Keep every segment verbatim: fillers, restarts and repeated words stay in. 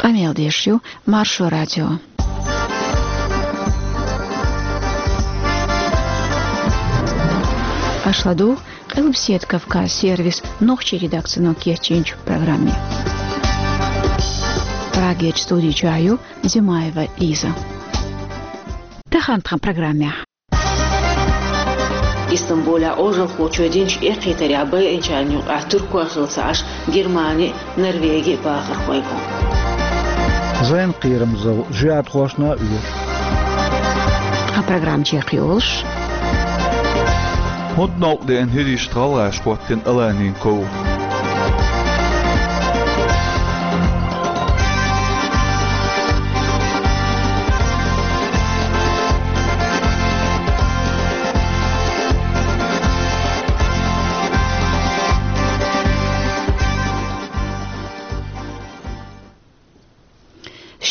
Къамел деш ю Маршо радио. Аша ладугӀу Къилбаседа Кавказ сервисан нохчийн редакцино кечйинчу программе. Прагерчу студи чохь ю Зимаева Лиза. Тахана тхан программехь. Истамбулехь Ӏожалхочо динчу эккхийтарехь байинчарна юкъахь туркой хилла ца Ӏаш, Германи, Норвеги бахархой бу. Зайн кхерамзалла жоьжахатошна а оьшу. Тхан программа чекхйолуш. ХӀунда новкъа деана хӀирийшна гӀалгӀаша хӀоттийна Аланин ков?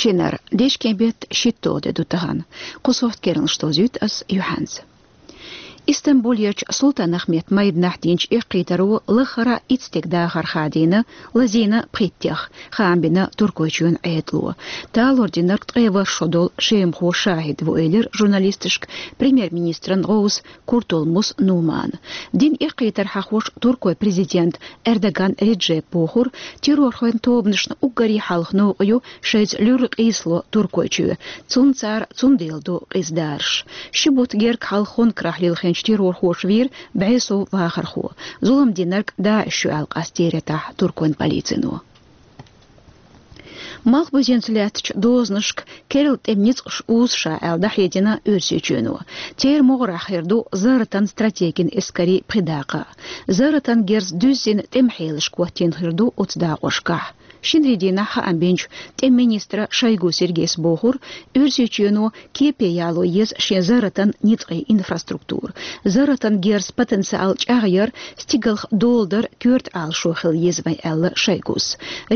Шинара, дечкен беттан шийтталгӀа де ду тахана. Кху сохьта керланаш довзуьйту ас юьхьанца. Истамбулерчу Султан-Ахмед майданахь динчу эккхийтаро лаххара итт стеган дахар хадийна, лазийна пхийттех, хаам бина Туркойчоьнан Ӏедало. Талор динарг ткъе ворхӀ шо долу шемахо шахӀид ву, элира журналисташка премьер-министран гӀовса Куртулмус Нумана. Дина эккхийтар хьахош туркойн президента Эрдоган Реджепа бохура, террорхойн тобанашна уггаре хьалха новкъа ю шайца луьра къийсало Туркойчоь. Цунна цара цундела ду къиза дараш. Ши бутт герга хьалха Хонкарахь лилхинчу террорхоша вийра бӀе сов вахархо. Зулам динарг ДАИШ ю аьлла къастийра тӀаьхьа туркойн полицино. Малхбузенца лаьттачу дозанашка керла тӀеман ницкъаш узу ша аьлла дӀахьедина Оьрсийчоьно. Церан могӀарехь хир ду зарратан стратегин эскарийн пхи дакъа. Зарратан герз дуьззина тӀеман хьелашка хӀоттийна хир ду оцу дакъошкахь. Шинарин дийнахь хаам бинчу тӀеман министра Шойгу Сергейс бохура, Оьрсийчоьно кепе яло еза шен зарратан ницкъийн инфраструктура. Зарратан герз потенциал чӀагӀъяр стигалх доладар коьрта Ӏалашо хила еза вайн, аьлла Шойгус.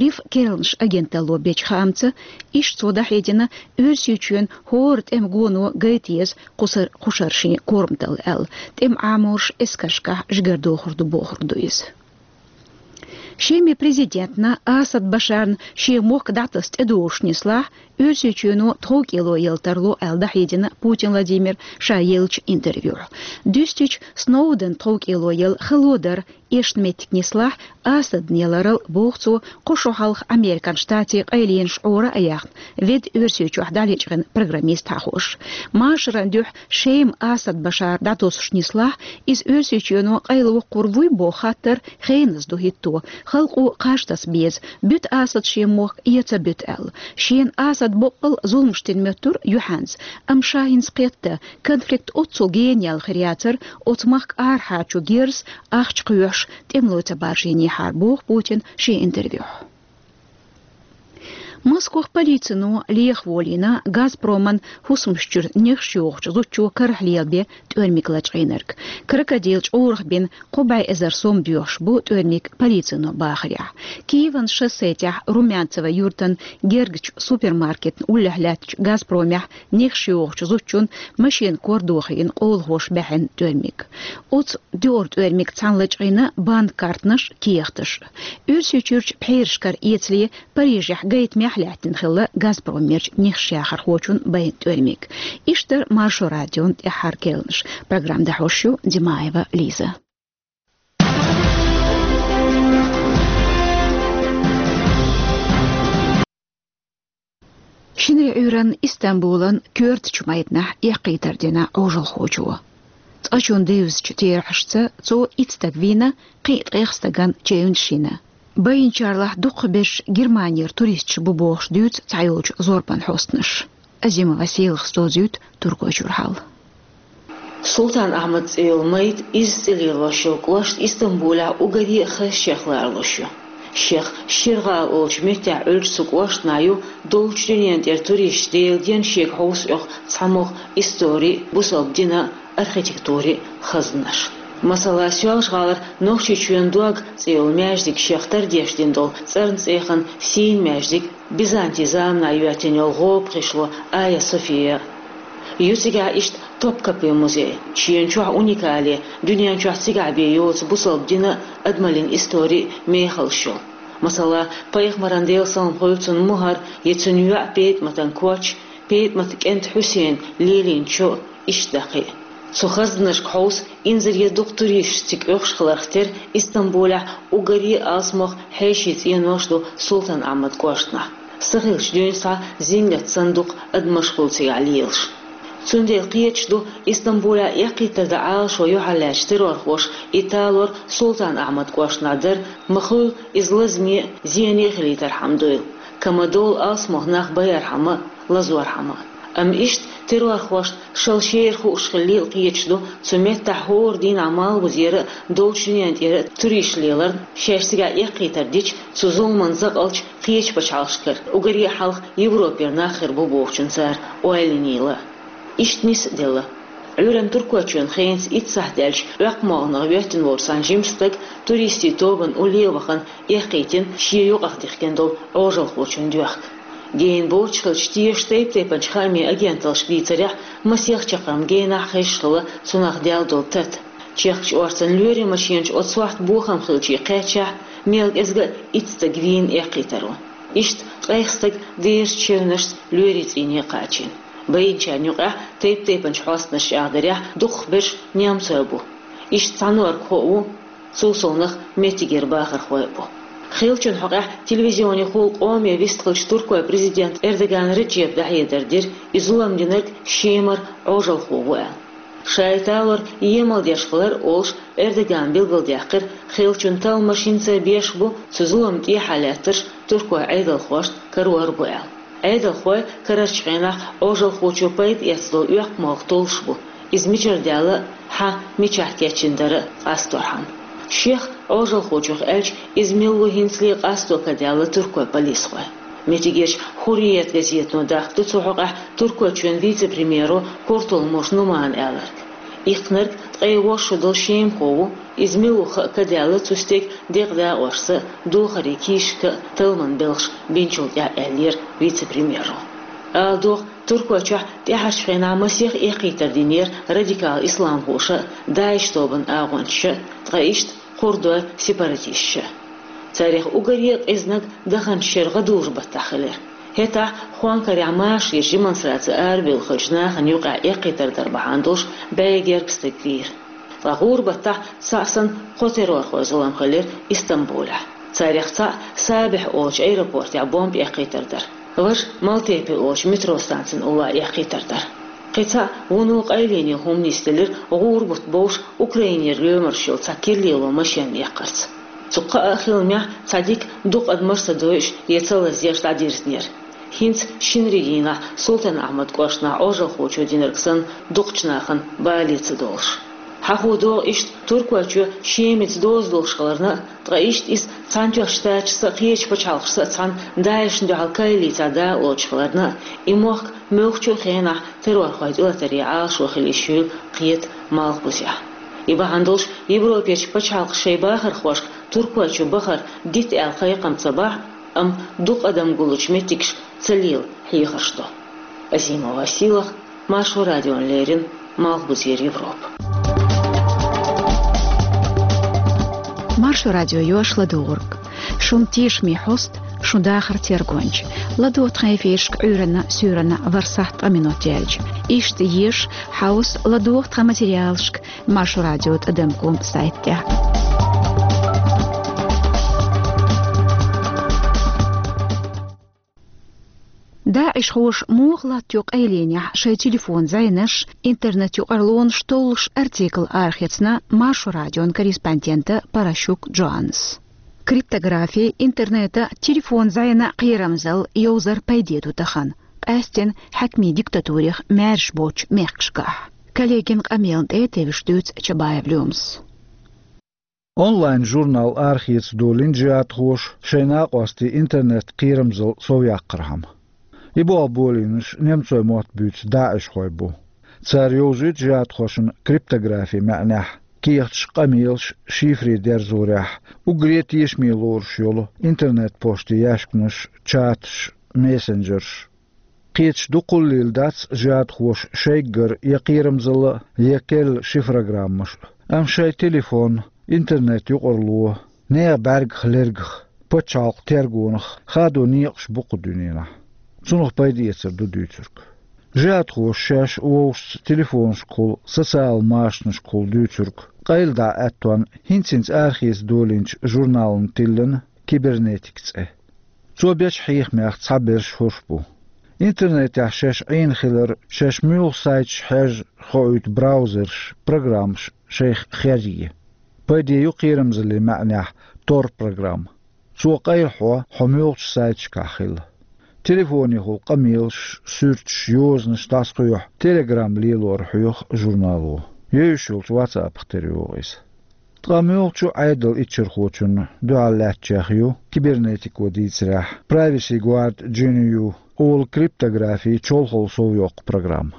РИФ керланаш агенталло бечу хаамца, иштта цо дӀахьедина, Оьрсийчоьнан хӀора тӀеман гоно гайта еза кхушар, кхушара шен корматалла аьлла. ТӀеман Ӏаморш эскаршкахь жигара дохур ду бохург ду иза. Шеман президентна Асад Башарна шен мохк дӀатаса тӀедогӀуш нислахь, Оьрсийчоьно тховкӀело яла тарло аьлла дӀахьедина Путин Владимира ша еллачу интервьюхь. Дуьстича, Сноуден тховкӀело яла хало дара эшна меттиг нислахь, Асадна яларал, боху цо, кхо шо хьалха Американ Штатийн къайленаш Ӏора а яьхна, ведда Оьрсийчохь дӀалечкъина программист хьахош. Машаран дуьхьа Шема Асад Башар дӀатосуш нислахь, иза Оьрсийчоьно къайлавоккхур вуй боху хаттар хеназа ду хӀитто, халкъо кхаж таса беза, буьту Асад шен мохк я ца буьту аьлла. Шена Асад боккъал зуламаш дина моьттура юьхьанца, амма ша хӀинца кхетта, конфликт оццул гена яьлла хир яцара, оцу махка арахьарчу герзаца ахча кхоьхьуш, тӀемало ца баржийнехьара, боху Путина шен интервьюхь. Москвахь полицино леха волийна Газпроман хӀусамаш чуьра нехаш йохучу зудчо карахь лелабен тӀоьрмиг лачкъийнарг. Крокодил чкъурах бина кхо бӀе эзар сом доьхуш бу тӀоьрмиг полицино бахарехь. Киеван шоссе тӀехь Румянцево юьртан гергачу супермаркетна уллехь лаьттачу Газпромехь нехаш йохучу зудчун машина кор дохийна къолахоша баьхьина тӀоьрмиг. Оцу дуьххьара тӀоьрмиг цхьаьна лачкъийна банк картанаш, кехаташ. Оьрсийчуьрчу пхьерашкара эцале Парижехь гайтамехь лаьттина хилла Газпромерчу нехаш яхархочун байна тӀоьрмиг. Иштта дара Маршо радион тӀаьххьара керланаш. Программа дӀахьош ю Димаева Лиза. Шинарин Ӏуьйранна Истамбулан коьртачу майданахь эккхийтар дина Ӏожалхочо. Цкъачунна девзачу терахьашца цо итт стаг вийна, кхин а ткъех стагана чевнаш йина. Байинчарлахь дукхахберш Германера туристаш бу бохуш дуьйцу цхьайолчу зорбан хьостанаша. Азимова Селахас довзуьйту Туркойчуьра хьал. Султан-Ахьмад цӀе йолу майда изза цӀе лелош йолу кӀошт Истамбулехь уггаре а хаза шех ларалуш ю. Шех Ширгала олучу меттехь Ӏуьллучу цу кӀоштана ю доллучу дуьненан тӀера туристаш Делан денна шега хьовса оьху цхьамогӀа историн, бусалба динан, архитектурин хазанаш. Масала, Соьлжа-ГӀалара Нохчийчоьнан дог цӀе йолу маьждиг шех тардеш дина долу цӀарна цӀеяхана сийна маьждиг, Бизантин заманахь йоьттина йолу гӀоба гӀишло Айя София. Ю цигахь иштта Топкапи музей, шена чохь уникале, дуьнен чохь цигахь бен йоцу бусалба динан, адамаллин историн мехаллаш йолу. Масала, пайхамаран, Делан салам хуьлда цунна, мухӀар я цуьнан йоӀ ПетӀаматан коч, ПетӀаматан кӀант Хьусейн лелийна чо, иштта дӀа кхин а. Цу хазданашка хьовса, инзаре дукха туристаш цига оьхуш хиларх тера Истамбулехь уггаре а алсамох хьеший цӀенош ду Султан-Ахьмад кӀоштахь. Са хилча дуьйна схьа зингат санна дукха адамаш хуьлу цигахь лелаш. Цундела кхеташ ду, Истамбулехь эккхийтар дан Ӏалашо юьхьарлаьцначу террорхоша и талор Султан-Ахьмад кӀоштахь дар, ма-хуьллу иза лазаме а, зене а хилийтархьама дуйла, ка ма-довла алсамох нах байархьама а, лазорхьама а. Амма иштта террорхошна шал шера хууш хиллийла кхеташ ду, цу меттехь хӀора дийнахь Малхбузера а, Долчу дуьнен тӀера а туристаш леларна, шаьш цигахь эккхийтар дича, цу зуламан закъалчу кхечу пачхьалкхашкара уггаре а хьалха Европера нах хир бу бохучунна цара ойла йинийла. Иштта нис а делла. Ӏуьйранна Туркойчоьнан хенца итт сахьт даьлча, Оьккху-МогӀанах воьттина волчу цхьана жимачу стага туристийн тобанан улле а вахана эккхийтина шен юкъах дихкина долу Ӏожалхочун доьхка. Гена боцуш хилча, тешачу тайп-тайпанчу хаамийн агенталлаш дийцарехь, масех чаккхарма генахь хезаш хилла цунах даьлла долу тата. Чехкачу орцанна лоьрийн машенаш оцу сохьта бохам хилча кхаьччахь, мел кӀезга а итт стаг вийна эккхийтаро. Иштта ткъех стаг дезачу чевнашца лоьрийн цӀийне кхачийна. Байинчарна юкъахь, тайп-тайпанчу хьостанаша чӀагӀдарехь, дукхахберш немцой бу. Иштта цхьанорг хо а ву, цул совнаха меттигера бахархой а бу. Хиллачун хьокъехь телевизионехула къоме вистхиллачу туркойн президента Эрдоган Реджепа дӀахьедар дира, и зулам динарг Шемара Ӏожалхо ву аьлла. Ша и талор емал деш хилар а олуш, Эрдогана билгалдаьккхира, хиллачун талламаш хӀинца а беш бу, цу зуламна тӀехьа лаьттарш туркойн Ӏедалхошна карор бу аьлла. Ӏедалхой карарчу хенахь Ӏожалхочо пайда эцна долу оьккху молха толлуш бу, иза мичара даьлла а, хьан мичахь кечйина дара а къасторхьама. Шех, Ӏожалхочух аьлча, иза мила ву хӀинцале къасто ка даьлла туркойн полисхойн. Меттигерчу «Хурриет» газетано дахка ду цу хьокъехь Туркойчоьнан вице-премьеро Куртулмуш Нумана аьлларг. Иккхинарг ткъе ворхӀ шо долу шемахо ву, иза мила ву хаа ка даьлла цу стеган декъа дакъошца а, духарийн кийсашка а талламан белхаш бинчул тӀаьхьа, аьллера вице-премьеро. Ала догӀу, Туркойчохь тӀаьхьарчу хенахь масех эккхийтар динера радикал исламхоша а, ДАИШ тобанан агӀончаша а, ткъа иштта кхурдойн сепаратисташа а. Царех уггаре а къизаниг даханчу шеран гӀадужу-баттахь хилира. ХӀетахь Хонкарехь машаречу демонстраци арабевлла хиллачу нахана юкъахь эккхийтар дар бахьана долуш бӀе гергга стаг вийра. Ткъа гӀуран-баттахь цхьаъ санна кхо террорхойн зулам хилира Истамбулехь. Царех цхьаъ Сабихь олучу аэропортехь бомба эккхийтар дара. Важа Малтепе олучу метро станцин уллохь эккхийтар дара. Кхин цхьаъ вуно къайлене хӀума нисделира гӀуран-бутт бовш Украинера лоьмарш йолу цхьа киралело машенна эккхарца. Цу кхаа хиламехь цхьа дика дукха адамаш а ца дойуш я ца лазъеш дӀадирзинера. ХӀинца шинарин дийнахь Султан-Ахьмад кӀоштахь Ӏожалхочо динарг санна дукхачу нахана бале ца долуш. Хьахо догӀу иштта Туркойчоь Шемица доза долуш хиларна а, ткъа иштта иза Цхьаьнатоьхначу Штаташца а, кхечу пачхьалкхашца а цхьаьна ДАИШ-на дуьхьал коалицехь дакъа лоцуш хиларна а, и мохк муьлххачу а хенахь террорхойн тӀелатаре Ӏалашо хила йиш юйла кхета Малхбузехь. И бахьана долуш Европерчу пачхьалкхаша шайн бахархошка Туркойчу бахар дита аьлла кхайкхам ца бахь а, амма дукха адам гуллучу меттигашка ца лела хьехарш до. Азимова Сийлаха, Маршо радиона леррина, Малхбузера Европа. Маршо радио йош ладугӀург. Шун тешаме хьост, шун дахар тергонча. ЛадогӀа тхан эфирашка Ӏуьйранна, суьйранна ворхӀ сахьт ткъа минот яьлча. Иштта еша, хьовса, ладогӀа тхан материалашка Маршо радио тӀадам ком сайтехь. ДАИШхоша муха латтайо къайленехь шайн телефон зӀенаш, интернет-юкъарлонаш толлуш артикл арахецна Маршо радион корреспондента Паращук Джоаннас. Криптографи, интернета, телефон зӀенан кхерамзалла йовзар пайде ду тахана. Къаьсттина хьаькамийн диктатурех маьрша боцучу мехкашкахь. Коллегин къамелна тӀе тевжаш дуьйцу Чабаев Лемас. Онлайн-журнал арахеца долийна джихӀадхоша шайн накъостийн интернет-кхерамзалла совъяккхархьама. И болх болийнарш немцойн мотт буьйцу даишхой бу. Цара йовзуьйту джихӀадхошна криптографин маьӀнехь кехаташ, къамелаш шифре дерзорехь, уггаре тешаме лоруш йолу интернет-поштан яьшканаш, чаташ, мессенджерш. Кхеташ дукхаллийла дац джихӀадхоша шайггара я кхерамзалла а, я керла шифрограммаш а. Амма шайн телефон, интернет-юкъарло, нехан бӀаьргах, лергах, пачхьалкхан тергонах хадо некъаш бу кху дуьненахь. Цунах пайда эцар ду дуьйцург. Жихадхоша шаьш вовшашца телефонашкахула, социал машанашкахула дуьйцург къайладахьа аьттонна хӀинца-хӀинца арахеца долийначу журнална тиллина «Кибернетика» цӀе. Цо бечу хьехамех цхьаберш хӀорш бу. Интернетехь шаьш Ӏийна хилар, шаьш муьлха сайташ хьежжа хоуьйту браузерш, программаш шайх херъе. Пайде ю кхерамзаллин маьӀнехь Tor программа. Цо къайлахьо хьо муьлхачу сайташкахь хила. Телефонехула къамелаш, суьрташ, йозанаш дӀасакхоьхьу Telegram лелор хьоьху журнало. Евзаш йолчу WhatsApp-ах тера йогӀу иза. Ткъа муьлххачу Ӏедалан иччархочунна дуьхьал лаьттачех ю, кибернетико дийцарехь, Privacy Guard G N U олу криптографин чолхалла совйоккху программа.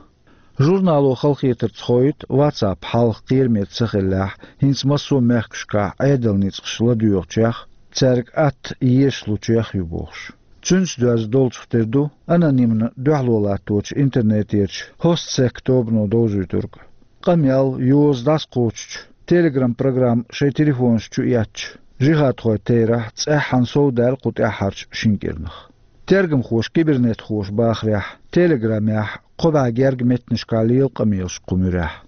Журнало халахетарца хоуьйту WhatsApp хьалха кхераме ца хиллехь, хӀинца массо а мехкашкахь Ӏедалан ницкъаш ладоьгӀучех, цаьрга атта езаш лучех ю бохуш. Цуьнца доьзна долчух тера ду анонимна дуьхьало латточу интернетерчу Hossec тобано довзуьйтург. Къамел, йоза дӀасакхочучу Telegram программа шайн телефонаш чу эцча, жихадхойн терахь цӀеххьана совдаьлла кху тӀаьххьарчу шина кӀирнах. Тергамхоша, кибернетхоша бахарехь, Telegram-ехь кхо бӀе гергга меттанашкахь лела къамелаш кху муьрехь.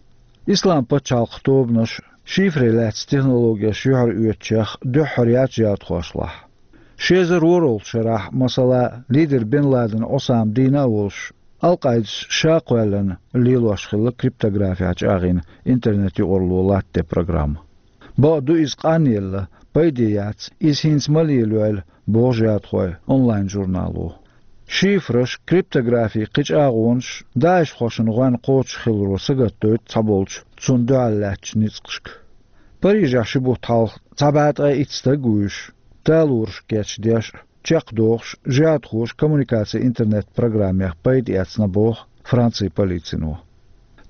Ислам пачхьалкхан тобанаш шифре лаьцна технологеш юьхьароьцучех дуьххьара яц жихадхошлахь. Ши эзар ворхӀалгӀачу шарахь, масала, лидер Бен Ладен Осама дийна а волуш, Ал-Къаидас ша кхоьллина лелош хилла криптографехь чӀагӀйина интернет-юкъарло латтаде программа. Бакъду, иза къанъелла, пайде яц, иза хӀинца ма лелайойла, боху жихадхойн онлайн-журнало. Шифраш, криптографин кхин чӀагӀонаш даишхошна гӀоьнна кхочуш хиларо сагатдойту цхьаболчу цунна дуьхьал лаьттачу ницкъашка. Парижехь ши бутт хьалха цхьа бӀе ткъе итт стаг вуьйш, талораш кечдеш а, чекхдохуш, жихадхоша коммуникацин интернет-программех пайда эцна боху Францин полицино.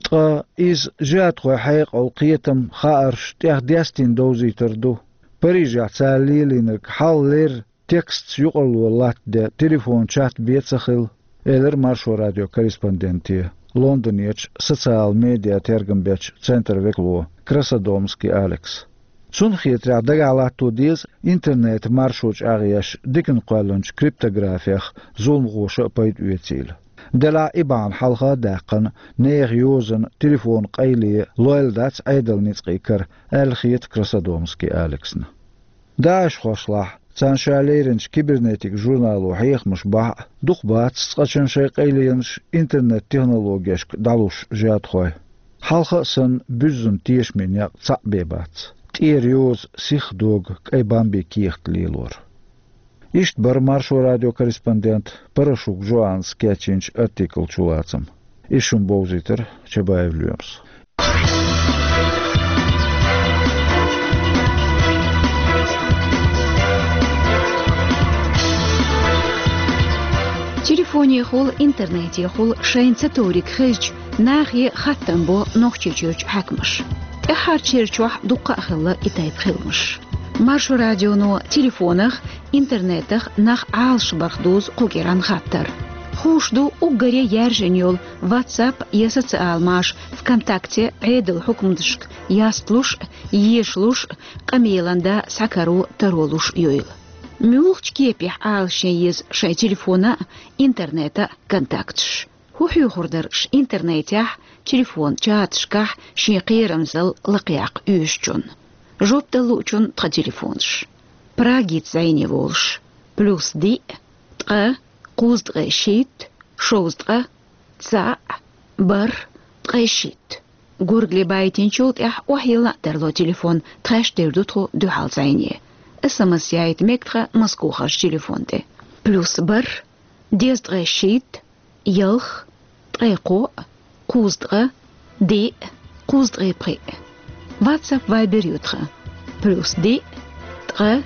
Ткъа иза жихадхойн хьекъал, кхетам, хаарш тӀех дестийна довзийтар ду. Парижехь цара лелийнарг хьалха леррина текстца юкъарло латтаде телефон-чат бен ца хилла, элира Маршо радион корреспонденте Лондонерчу социал медиа тергам бечу центран векало Красодомский Алекса. Цунна хетарехь, дагахь латто деза интернетан маршо чӀагӀъеш диканна кхоьллинчу криптографех зуламхоша а пайда оьцийла. Делахь и бахьана хьалха а даьккхина, нехан йозанна, телефонан къайле лойла дац Ӏедалан ницкъийн кара, аьлла хета Красодомский Алексна. ДаӀишхошлахь, царна ша леринчу «Кибернетика» журнало хьехамаш бахь а, дукха бац цкъачунна шайн къайленаш интернет-технологешка дӀалуш жихадхой. Хьалха а санна, буьззина тешаме некъ цхьаъ бен бац. ТӀера йоза, сиха дог, кӀайн бамбин кехат лелор. Иштта бара Маршо радион корреспондента Порошук Жоаннас кечйинчу артиклан чулацам. Иза шуна бовзийтира Чабаев Лоьмас. Телефонехула, интернетехула шайна ца товриг хезча, нахе хаттам бо Нохчийчуьрчу хьаькамаша. ТӀаьххьарчу шерачохь дуккха а хилла и тайпа хиламаш. Маршо радионо телефонах, интернетах нах Ӏалашбарх дузу кху кӀиран хаттар. Хууш ду уггаре яьржина йолу WhatsApp я социал маша ВКонтакте Ӏедалан хьукматашка ястлуш а, ешалуш а, къамелан да схьакаро, таро луш а йойла. Муьлхачу кепехь Ӏалашъян еза шайн телефона а, интернета а контакташ? ХӀун хьоьхур дара аш интернетехь, телефон чаташкахь шен кхерамзалла лакхаяккха оьшучунна? Жоп дала луучунна тхан телефонаш. Прагица зӀене волуш: плюс диъ, ткъа, кхузткъе шийтта, шовзткъа, цхьаъ, бархӀ, ткъе шийтта. Горгали байтинчул тӀаьхьа охьайилла а тарло телефон, тхаьш дер ду тхо дуьхьал зӀене. СМС яйта мега тхан Москохарчу телефон тӀе. Плюс бархӀ, дезткъе шийтта, ялх, ткъе кхоъ, кхузткъа, диъ, кхузткъе пхиъ. WhatsApp, Viber ю тхан. Плюс диъ, ткъа,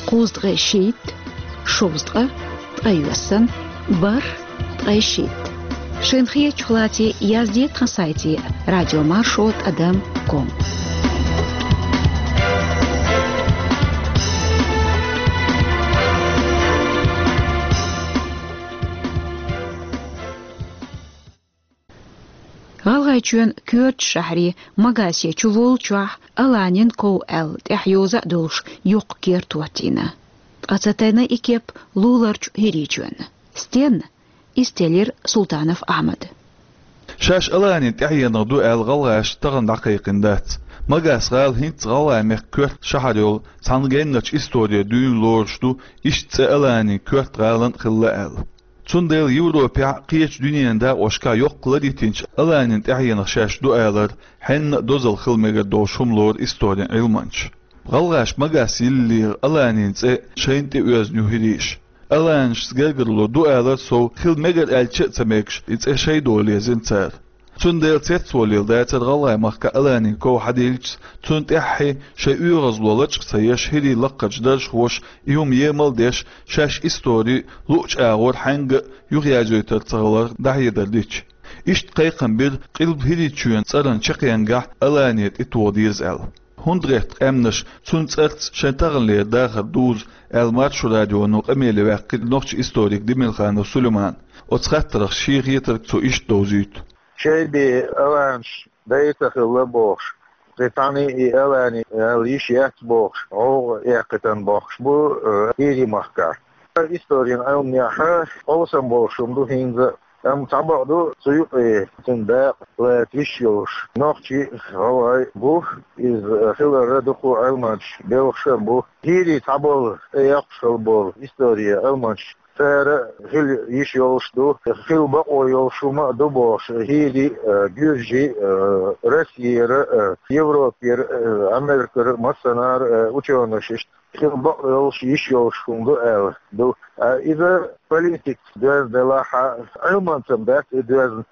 кхузткъе шийтта, шовзткъа, ткъе йоьссан, бархӀ, ткъе шийтта. Шайна хетачух лаций, язде тхан сайте радиомаршо тӀадам ком. ГӀалгӀайчоьнан коьртачу шахьарийн Магасе чу воллучохь Аланин ков аьлла тӀехь йоза а долуш йоккха керта хӀоттийна. Ткъа ца тайна и кеп луларчу хӀирийчоьнна. Стенна? Из теллира Султанов Ахьмада. Шаьш Аланин тӀаьхьенах ду аьлла гӀалгӀаша тахана дӀакхайкхийна дац. Магас-гӀала хӀинца ГӀалгӀай мехка коьрта шахьар йолу цхьана геннарчу историн дуьйна лоруш ду, иштта цӀе Аланин коьрта гӀалин а хилла аьлла. Цундела Европехь а, кхечу дуьненан дакъошкахь а йоккха лар йитинчу Аланин тӀаьхьенах шаьш ду алар хьенна а дозалла хила мегар долуш хӀума лору историн Ӏилманчаша. ГӀалгӀаша Магас йиллера Аланин цӀе шайна тӀе оьзна ю хӀирийша. Аланашца гергарло ду алар сов, хила мегар аьлча а ца мегаш, и цӀе шайн дола езна цара. Цундела цецволийла дацара ГӀалгӀай махкахь Аланин ков хьадиллича, цунна тӀаьххье шайн оьгӀазло лачкъа ца еш, хӀирийн лакхарчу даржахоша и хӀума емал а деш, шаьш истори луъучу агӀор хьаьнга а юхаязйойтур ца хиларх дӀахьедар дича. Иштта кхайкхам бира Къилба ХӀирийчоьнан цӀаран чаккхенгахь Алане тӀетоха деза аьлла. ХӀунда гӀерта къаьмнаша цуьнан цӀарца шайн таханлера дахар дузу аьлла, Маршо радионо къамеле ваьккхира нохчийн историк Демилханов Сулейман. Оцу хаттарах шен хетарг цо иштта довзуьйту. Шайн бен аланаш дай ца хилла бохуш, кхин цхьаьна и Алани аьлла йиш яц бохуш, гӀовгӀа эккхийтина бохкуш бу, э, ХӀирийн махкахь. Историн Ӏилманехь къовсам болуш хӀума ду хӀинца а. Амма цхьа бакъ ду, цу юкъе цуьнан дакъа лаца йиш йолуш нохчий а, гӀалгӀай а бу, иза хиларна дукха Ӏилманчаш белхаш а бу. ХӀирий цхьаболу тӀеэккхуш хилла болу историн Ӏилманчаш, цара хила йиш йолуш ду, хила бакъо йолуш хӀума а ду бохуш, хӀирий а, гуьржий а, Россера а, Европера а, Америкера а, массанхьара а учёнаш иштта хила бакъо йолуш, йиш йолуш хӀума ду аьлла ду. А иза политикаца доьзна делахь а, Ӏилманца дац и доьзна.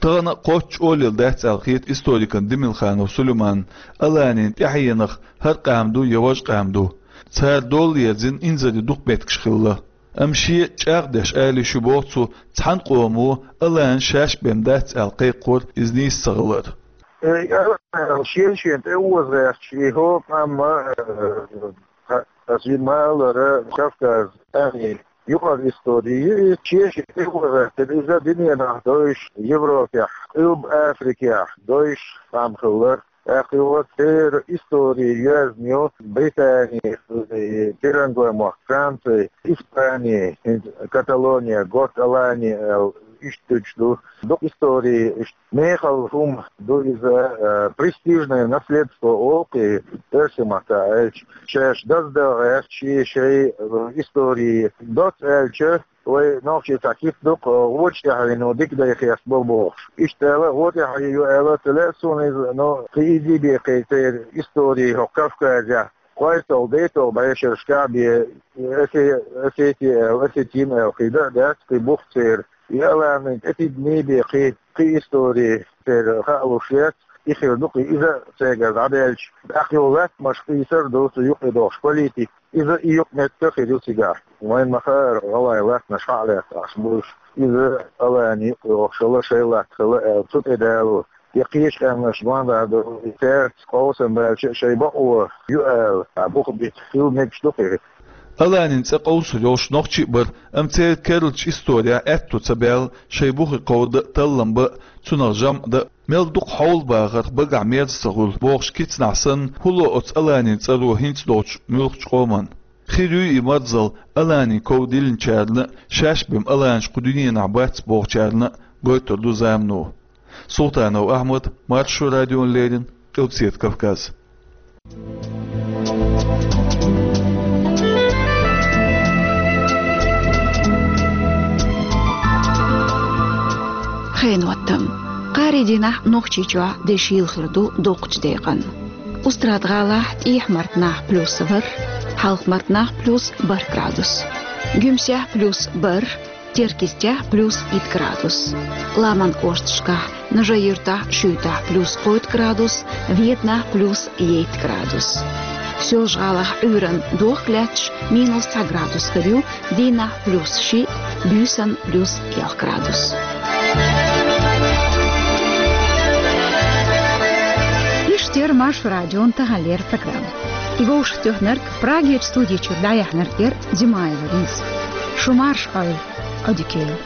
Тахана кхоччуш олийла дац аьлла хета историкна Демилханов Сулейманна Аланин тӀаьхьенах хӀара къам ду я важа къам ду. Цара дола ерзийна инзаре дукха меттигаш хилла. Амма шен чӀагӀдеш ала йиш ю боху цо, цхьана къомо Алана шаьш бен дац аьлла кхайкхор иза нийса ца хилар. Э, Алана шен-шен тӀе оза гӀерташ, и хӀокху къам а, э, Ас вина ма-аллара, Кавказ, тӀаьхье юкъара истори ю иза, шен-шен тӀе оза гӀертира иза, дуьненахь довзуш, Европехь, Къилба Африкехь довзуш къам хилла. ТӀаккха юха церан истори йоьзна ю Британи, Пиранглой мохк, Франци, Испани, хӀинца Каталония, Готт Алани аьлла, иштта дуьйцуш ду. Дукха истори иштта мехала хӀума ду иза, э, престижное наследство олу-кх и оьрсийн маттахь аьлча. Шаьш даздан гӀерташ шайн, э, истори доцца аьлча, вай нохчийн цхьа кип ду-кх, э, вочу тӀаьхьено дика дай хестабо бохуш. Иштта аьлла, вочу тӀаьхье ю аьлла ца лаьа суна иза, но кхин иза бен кхин церан истори хӀокху Кавказехь кхойтталгӀа, дейтталгӀа бӀешерашкахь бен, Осе-, Осети аьлла, Осетин аьлла кхин дан а дац, кхин бух церан. И Аланин тӀе тидаме бен кхин, кхин истори церан хаалуш яц, и хир ду-кх иза а цигара дӀадаьлча. ТӀаккха юха латтанаш къийсар ду цу юкъе дохуш политика. Иза и юкъаметтиг хир ю цигахь. Вайна ма-хаъара, гӀалгӀай латтанаш хьа а лаьцна Ӏаш бу уьш. Иза Алани юкъе йохуш хилла, шайн латта хилла аьлла, цу тӀе далор. Я кхечу къаьмнаш ма-дарра ду, и цаьрца къовсам баьлча а шайн бакъо ю ала, а бух бита хила мегаш ду-кх и. Аланин цӀе къовсур йолуш нохчий а бара, амма церан керлачу исторехь аьтто ца баьлла шайн бухе кховда а, таллам бан а, цунах жамӀ дан а. Мел дукха хьовла бахарх багахь мерза ца хуьлу бохуш кицанахь санна, хӀун ло оцу Аланин цӀаро хӀинца долчу муьлххачу къоман? Хир юй и марзалла Аланин ков диллинчарна а, шаьш бен Аланаш кху дуьненахь бац бохучарна а, гойтур ду замано. Султанов Ахьмад, Маршо радиона леррина, Къилбаседа Кавказ. Хенан хӀоттам. Кхаарин дийнахь Нохчийчохь дешйийла хир ду доккхачу декъан. Устрада-ГӀалахь тӀехьа-мартанахь плюс ворхӀ, хьалха-мартанахь плюс бархӀ градус. Гуьмсехь плюс бархӀ, Теркйистехь плюс итт градус. Ламан кӀошташкахь: Нажи-Юьртахь, Шуьйтахь плюс кхойтта градус, Веданахь плюс ейтта градус. Соьлжа-ГӀалахь Ӏуьйранна дохк лаьтташ минус цхьа градус хир ю, дийнахь плюс шиъ, буьйсанна плюс ялх градус. Иштта яра Маршо радион таханлера программа. И вовшахтоьхнарг, Прагерчу студи чуьра дӀаяьхьнарг яра Димаева Лиза. Шу марша Ӏойла, Ӏодика йойла.